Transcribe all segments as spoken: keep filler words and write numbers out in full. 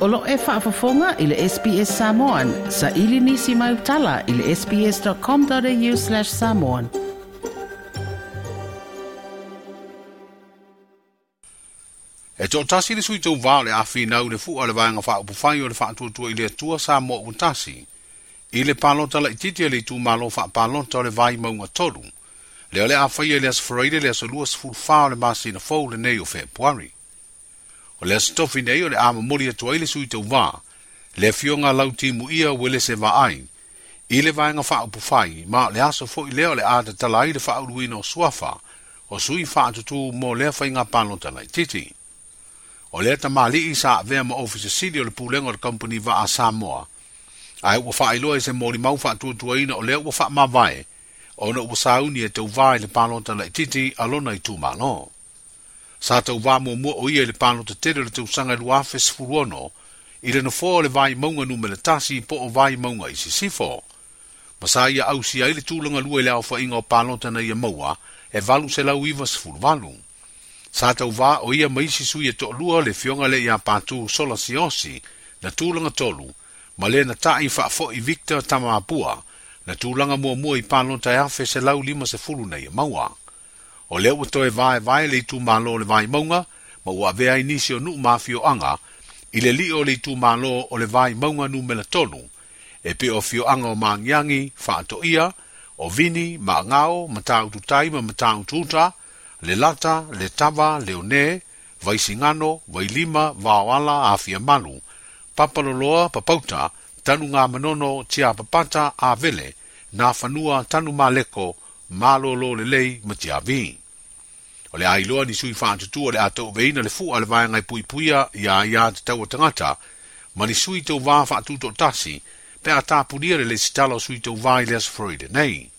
O lo e faafofoga i le S B S Samoan, sa ili nisi mai utala i le sbs.com.au slash samoan. E toʻatasi le sui tauvā o le afinau le fua le vaega faaupufai o le faatuatua i le Atua Samoa ua tasi. I le palota laitiiti a le itumalo faapalota o le Vaimauga tolu. Lea o le a faia i le aso Faraile le aso luasefulu fa o le masina fou lenei o Fepuari. O le aso tofi nei o le a momoli atu ai le sui tauvā, le afioga Lautimuia Uelese Vaai, i le vaega faaupufai ma o le aso foi lea o le a tatala ai le faauluina o suafa o sui faatutū mo lea faiga palota laitiiti. O lea tamalii sa avea ma ofisa sili o le pulega o le Company Vaa Samoa. Ae ua faailoa i se molimau faatuatuaina o lea ua faamavae, ona ua sauni e tauvā i le palota laitiiti a lona itumalo. Sa tauvā muamua o ia i le palota tele o le tausaga e lua afe sefulu ono, i le nofoa o le Vaimauga numera tasi po o Vaimauga i Sisifo. Ma sa ia ausia ai le tulaga lua i le aofaiga o palota na ia maua e valu selau iva sefulu valu. Sa tauvā o ia ma isi sui e toʻalua le afioga le ia Patu Sola Siosi na tulaga tolu, ma le na taʻi faafoʻi Victor Tamapua na tulaga muamua i palota e afe selau lima sefulu na ia maua. O lea ua toe vaevae le itumalo o le Vaimauga, ma ua avea ai nisi o nuu ma afioaga i le liʻo o le itumalo o le Vaimauga numera tolu, e pei o afioaga o Magiagi, Faatoia, o Vini, Maagao, Mataututai ma Mataututa, le Lata, le Tava, Leone, Vaisigano, Vailima, Vaoala, Afiamalu, Papaloloa, Papauta, Tanugamanono, Tiapapata, Avele, Nafanua, Tanumaleko, Malolo lelei ma Tiavi. O le ailoa ni sui faatutua o le a tauaveina le fua le vaega e puipuia ia ia tatau a tagata, ma ni sui tauvā faatutoatasi pe a tapunia le lesitala o sui tauvā i le aso Faraile nei.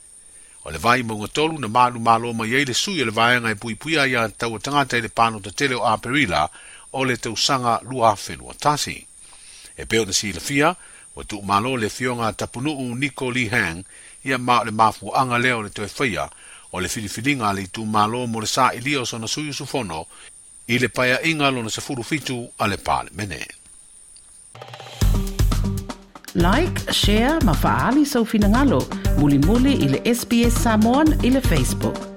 O le Vaimauga tolu na malu malo mai ai le sui o le vaega e puipuia ia tatau a tagata i le palota tele o Aperila o le tausaga lua afe lua tasi. E pei ona silafia, ua tuumalo le afioga Tapunuu Niko Lee Hang ia ma o le mafuaaga lea o le toe faia o le filifiliga a le itumalo mo le saʻilia o sona sui usufono i le paeaʻiga lona sefulu fitu a le Palemene. Like, share ma faaali sau finagalo, mulimuli i le S B S Samoan i le Facebook.